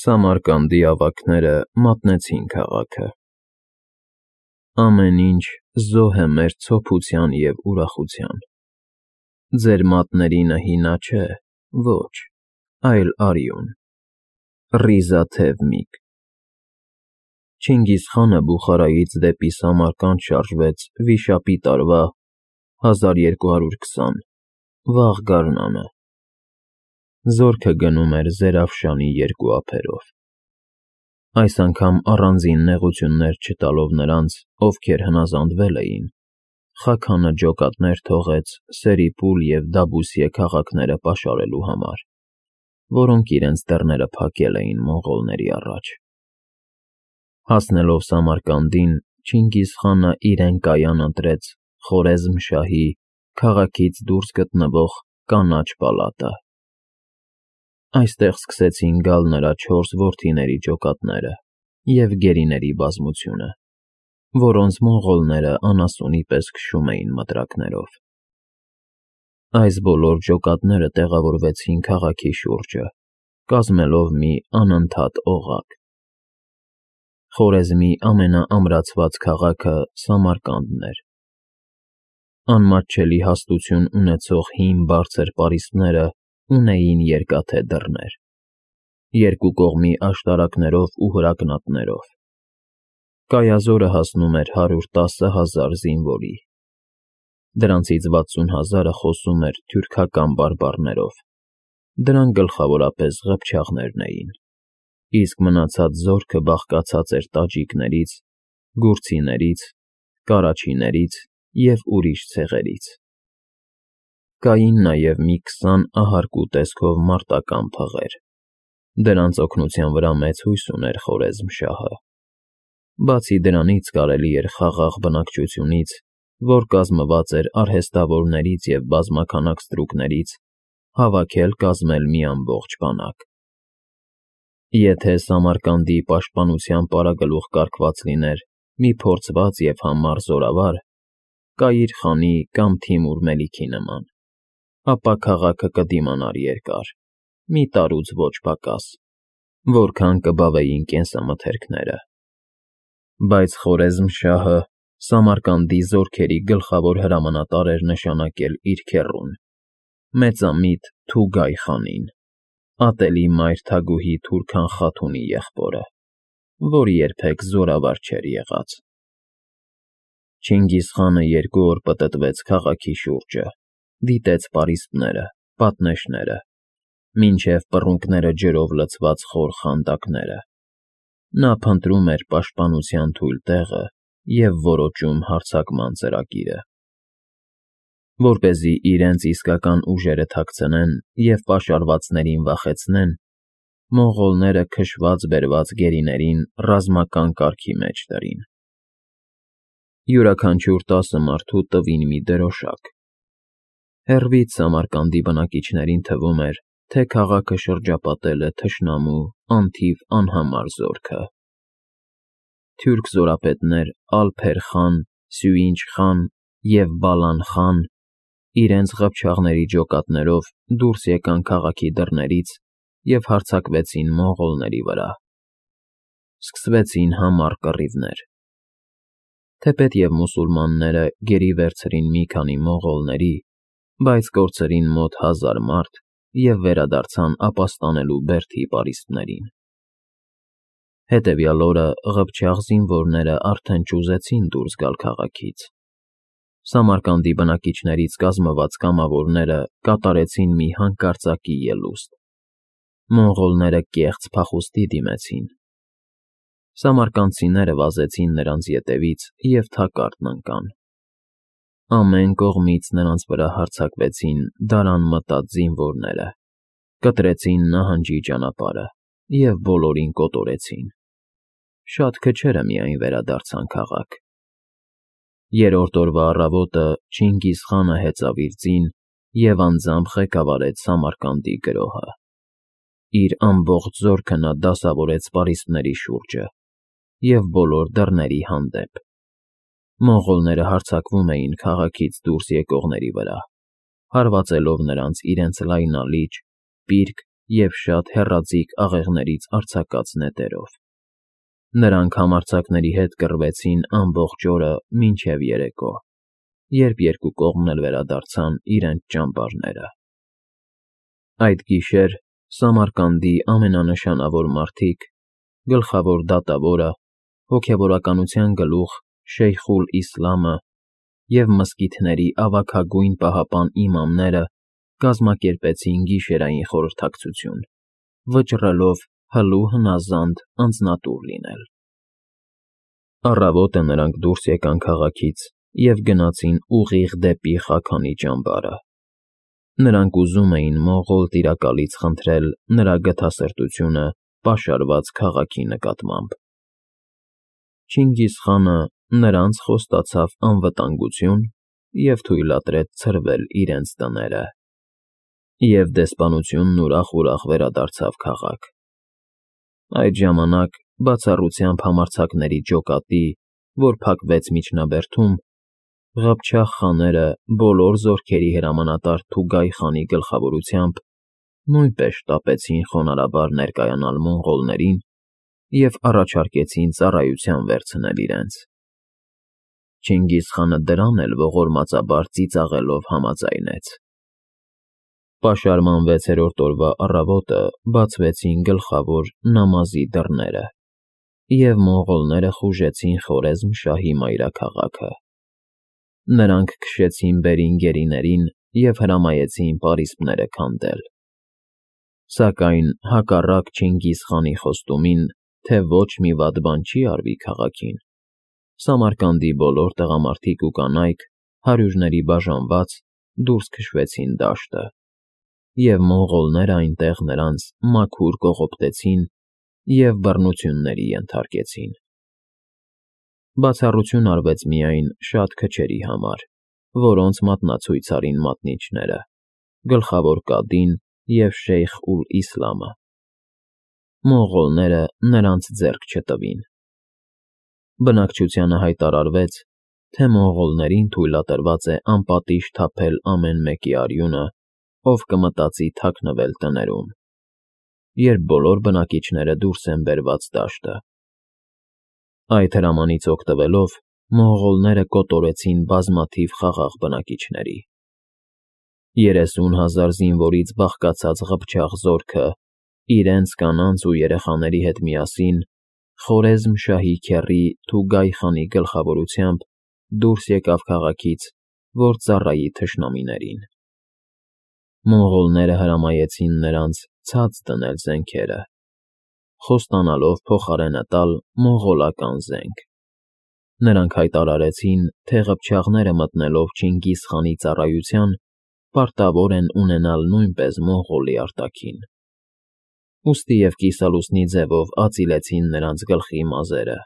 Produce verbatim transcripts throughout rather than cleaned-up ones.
Սամարկանդի ավագները մատնեցին քաղաքը։ Ամեն ինչ զոհ է մեր ցոփության և ուրախության։ Ձեր մատներինը հինա չէ, ոչ, այլ արյուն, ռիզաթև միգ։ Չինգիզխանը Բուխարայից դեպի Սամարկանդ շարժվեց վիշապի տարվա հազար երկու հարյուր քսան վաղ գարնանը։ Զորքը գնում էր Զերավշանի երկու ափերով։ Այս անգամ առանձին նեղություններ չտալով նրանց, ովքեր հնազանդվել էին, Խաքանը ջոկատներ թողեց Սերիպուլ և Դաբուսիե քաղաքները պաշարելու համար, որոնք իրենց դռները փակել էին մոնղոլների առաջ։ Հասնելով Սամարկանդին, Չինգիզխանը իրեն կայան ընտրեց Խորեզմ֊Շահի քաղաքից դուրս գտնվող կանաչ պալատը։ Այստեղ սկսեցին գալ նրա չորս որդիների ջոկատները և գերիների բազմությունը, որոնց մոնղոլները անասունի պես քշում էին մտրակներով։ Այս բոլոր ջոկատները տեղավորվեցին քաղաքի շուրջը, կազմելով մի անընդհատ օղակ։ Խորեզմի ամենաամրացված քաղաքը Սամարկանդն էր։ Անմատչելի հաստություն ունեցող հին բարձր պարիսպները ունեին երկաթե դռներ, երկու կողմի աշտարակներով ու հրակնատներով։ Կայազորը հասնում էր հարյուր տասը հազար զինվորի։ Դրանցից վաթսուն հազարը խոսում էր թյուրքական բարբառներով, դրանք գլխավորապես ղփչաղներն էին, իսկ մնացած զորքը բաղկացած էր տաջիկներից, գուրցիներից, կարաչիներից և ուրիշ ցեղերից։ Կային նաև մի քսան ահարկու տեսքով մարտական փղեր։ Դրանց օգնության վրա մեծ հույս ուներ Խորեզմ֊Շահը։ Բացի դրանից կարելի էր խաղաղ բնակչությունից, որ կազմված էր արհեստավորներից և բազմաքանակ ստրուկներից, հավաքել կազմել մի ամբողջ բանակ։ Եթե Սամարկանդի պաշտպանության պարագլուխ կարգված լիներ մի փորձված և համառ զորավար, Կայիր խանի կամ Թիմուր Մելիքի նման, ապա քաղաքը կդիմանար երկար, մի տարուց ոչ պակաս, որքան կբավեին կենսամթերքները։ Բայց Խորեզմ֊Շահը Սամարկանդի զորքերի գլխավոր հրամանատար էր նշանակել իր քեռուն, մեծամիտ Թուգայ խանին, ատելի մայր Թագուհի Թուրքան Խաթունի եղբորը, որ երբեք զորավար չէր եղած։ Չինգիզխանը երկու օր պտտվեց քաղաքի շուրջը, դիտեց պարիսպները, պատնեշները, մինչև պռունգները ջրով լցված խոր խանդակները։ Նա փնտրում էր պաշտպանության թույլ տեղը և որոջում հարձակման ծրագիրը։ Որպեսզի իրենց իսկական ուժերը թաքցնեն և պաշարվածներին վախեցնեն, մոնղոլները քշված֊բերված գերիներին ռազմական կարգի մեջ դրին։ Յուրաքանչյուր տասը մարդու տվին մի դրոշակ։ Հեռվից Սամարկանդի բնակիչներին թվում էր, թե քաղաքը շրջապատել է թշնամու անթիվ անհամար զորքը։ Թուրք զորապետներ Ալփեր խան, Սյուինչ խան և Բալան խան իրենց ղփչաղների ջոկատներով դուրս եկան քաղաքի դռներից և հարձակվեցին մոնղոլների վրա։ Սկսվեցին համառ կռիվներ։ Թեպետև մուսուլմանները գերի վերցրին մի քանի մոնղոլների, բայց կորցրին մոտ հազար մարդ և վերադարձան ապաստանելու Բերդի պարիսպներին։ Հետևյալ օրը ղփչաղ զինվորները արդեն չուզեցին դուրս գալ քաղաքից։ Սամարկանդի բնակիչներից կազմված կամավորները կատարեցին մի հանկարծակի ելուստ։ Մոնղոլները կեղծ փախուստի դիմեցին։ Սամարկանդցիները վազեցին նրանց ետևից և թակարդն ընկան։ Ամեն կողմից նրանց վրա հարձակվեցին դարան մտած զինվորները, կտրեցին նահանջի ճանապարհը և բոլորին կոտորեցին։ Շատ քչերը միայն վերադարձան քաղաք։ Երրորդ օրվա առավոտը Չինգիզխանը հեծավ իր ձին և անձամբ ղեկավարեց Սամարկանդի գրոհը։ Իր ամբողջ զորքը նա դասավորեց պարիսպների շուրջը և բոլոր դռների հանդեպ։ Մոնղոլները հարձակվում էին քաղաքից դուրս եկողների վրա, հարվածելով նրանց իրենց լայնալիճ, պիրկ և շատ հեռաձիգ աղեղներից արձակած նետերով։ Նրանք համարձակների հետ կռվեցին ամբողջ օրը մինչև երեկո, երբ երկու կողմն էլ վերադարձան իրենց ճամբարները։ Այդ գիշեր Սամարկանդի ամենանշանավոր մարդիկ, գլխավոր դատավորը, հոգևորականության գլուխ Շեյխ ուլ-Իսլամը և մզկիթների ավագագույն պահապան իմամները կազմակերպեցին գիշերային խորհրդակցություն, վճռելով հլու հնազանդ անձնատուր լինել։ Առավոտը նրանք դուրս եկան քաղաքից և գնացին ուղիղ դեպի Խաքանի ճամբարը։ Նրանք ուզում էին մոնղոլ տիրակալից խնդրել նրա գթասրտությունը պաշարված քաղաքի նկատմամբ։ Չինգիզ խանը նրանց խոստացավ անվտանգություն և թույլատրեց ցրվել իրենց տները, և դեսպանությունն ուրախ-ուրախ վերադարձավ քաղաք։ Այդ ժամանակ բացառությամբ համարձակների ջոկատի, որ փակվեց միջնաբերդում, Ղփչաղ խաները բոլոր զորքերի հրամանատար Թուգայ խանի գլխավորությամբ նույնպես շտապեցին խոնարհաբար ներկայանալ մոնղոլներին և առաջարկեցին ծառայության վերցնել իրենց։ Չինգիզ խանը դրան էլ ողորմածաբար ծիծաղելով համաձայնեց։ Պաշարման վեցերորդ օրվա առավոտը բացվեցին գլխավոր Նամազի դռները, և մոնղոլները խուժեցին Խորեզմ֊Շահի մայրաքաղաքը։ Նրանք քշեցին բերին֊գերիներին և հրամայեցին պարիսպները քանդել։ Սակայն հակառակ Չինգիզ խանի խոստումին, թե ոչ մի վատ բան չի արվի քաղաքին, Սամարկանդի բոլոր տղամարդիկ ու կանայք, հարյուրների բաժանված, դուրս քշվեցին դաշտը, և մոնղոլները այնտեղ նրանց մաքուր կողոպտեցին և բռնությունների ենթարկեցին։ Բացառություն արվեց միայն շատ քչերի համար, որոնց մատնացույց արին մատնիչները, գլխավոր կադին և Շեյխ ուլ-Իսլամը։ Մոնղոլները նրանց ձեռք չտվին։ Բնակչությանը հայտարարվեց, թե մոնղոլներին թույլատրված է անպատիժ թափել ամեն մեկի արյունը, ով կմտածի թաքնվել տներում, երբ բոլոր բնակիչները դուրս են բերված դաշտը։ Այդ հրամանից օգտվելով, մոնղոլները կոտորեցին բազմաթիվ խաղաղ բնակիչների։ Երեսուն հազար զինվորից բաղկացած Ղփչաղ զորքը, իրենց կանանց ու երեխաների հետ միասին, Խորեզմ֊Շահի քեռի Թուգայ խանի գլխավորությամբ դուրս եկավ քաղաքից, որ ծառայի թշնամիներին։ Մոնղոլները հրամայեցին նրանց ցած դնել զենքերը, խոստանալով փոխարենը տալ մոնղոլական զենք։ Նրանք հայտարարեցին, թե ղփչաղները մտնելով Չինգիզ խանի ծառայության, պարտավոր են ունենալ նույնպես մոնղոլի արտաքին։ Ուստի և կիսալուսնի ձևով ածիլեցին նրանց գլխի մազերը,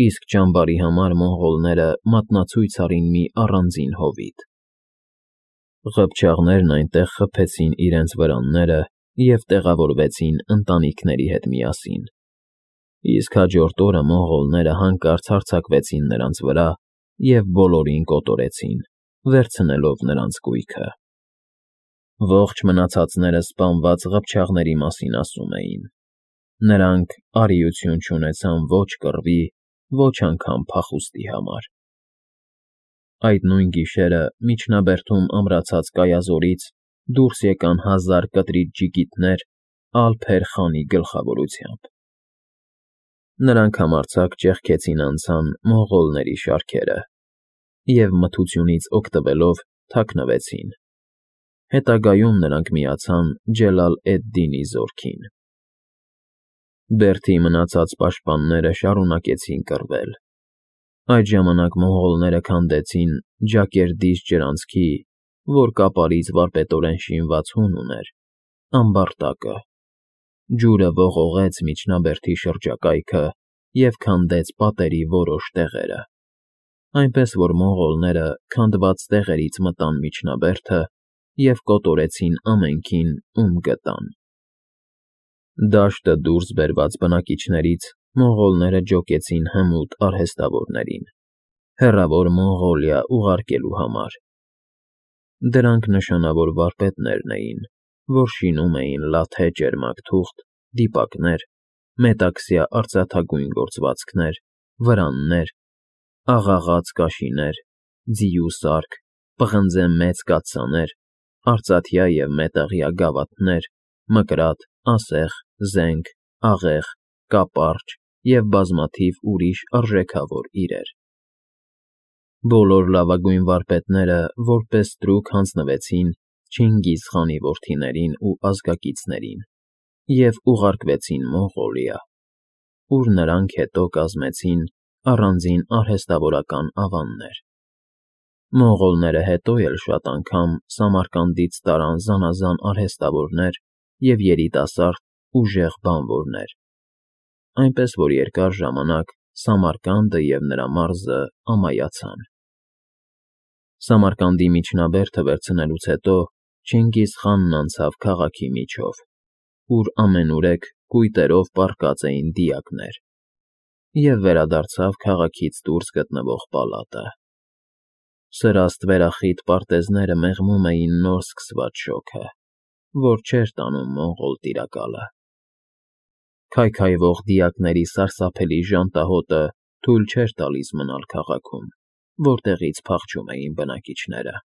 իսկ ճամբարի համար մոնղոլները մատնացույց արին մի առանձին հովիտ։ Ղփչաղներն այնտեղ խփեցին իրենց վրանները և տեղավորվեցին ընտանիքների հետ միասին, իսկ հաջորդ օրը մոնղոլները հանկարծ հարձակվեցին նրանց վրա և բոլորին կոտորեցին, վերցնելով նրանց կույքը։ Ողջ մնացածները սպանված ղփչաղների մասին ասում էին. նրանք արիություն չունեցան ոչ կռվի, ոչ անգամ փախուստի համար։ Այդ նույն գիշերը միջնաբերդում ամրացած կայազորից դուրս եկան հազար կտրիչ ջիգիտներ Ալ-Փեր խանի գլխավորությամբ։ Նրանք համարձակ ճեղքեցին անցան մոնղոլների շարքերը և մթությունից օգտվելով թաքնվեցին։ Հետագայում նրանք միացան Ջելալ էդ֊Դինի զորքին։ Բերդի մնացած պաշտպանները շարունակեցին կռվել։ Այդ ժամանակ մոնղոլները քանդեցին Ջակերդիջ ջրանցքի, որ կապարից վարպետորեն շինված հուն ուներ, ամբարտակը։ Ջուրը ողողեց միջնաբերդի շրջակայքը և քանդեց պատերի որոշ տեղերը, այնպես որ մոնղոլները քանդված տեղերից մտան միջնաբերդը և կոտորեցին ամենքին, ում գտան։ Դաշտը դուրս բերված բնակիչներից մոնղոլները ջոկեցին հմուտ արհեստավորներին, հեռավոր Մոնղոլիա ուղարկելու համար։ Դրանք նշանավոր վարպետներն էին, որ շինում էին լաթե ճերմակ թուղթ, դիպակներ, մետաքսյա արծաթագույն գործվածքներ, վրաններ, աղաղաց կաշիներ, ձիու սարք, պղնձե մեծ կաթսաներ, արծաթյա և մետաղյա գավաթներ, մկրատ, ասեղ, զենք, աղեղ, կապարճ և բազմաթիվ ուրիշ արժեքավոր իրեր։ Բոլոր լավագույն վարպետները որպես ստրուկ հանձնվեցին Չինգիզ խանի որդիներին ու ազգակիցներին և ուղարկվեցին Մոնղոլիա, ուր նրանք հետո կազմեցին առանձին արհեստավորական ավաններ։ Մոնղոլները հետո էլ շատ անգամ Սամարկանդից տարան զանազան արհեստավորներ և երիտասարդ, ուժեղ բանվորներ, այնպես որ երկար ժամանակ Սամարկանդը և նրա մարզը ամայացան։ Սամարկանդի միջնաբերդը վերցնելուց հետո Չինգիզ խանն անցավ քաղաքի միջով, ուր ամենուրեք կույտերով պառկած էին դիակներ, և վերադարձավ քաղաքից դուրս գտնվող պալատը։ Սրաստ վերախիտ պարտեզները մեղմում էին նոր սկսված շոգը, որ չէր տանում մոնղոլ տիրակալը։ Քայքայվող դիակների սարսափելի ժանտահոտը թույլ չէր տալիս մնալ քաղաքում, որտեղից փախչում էին բնակիչները։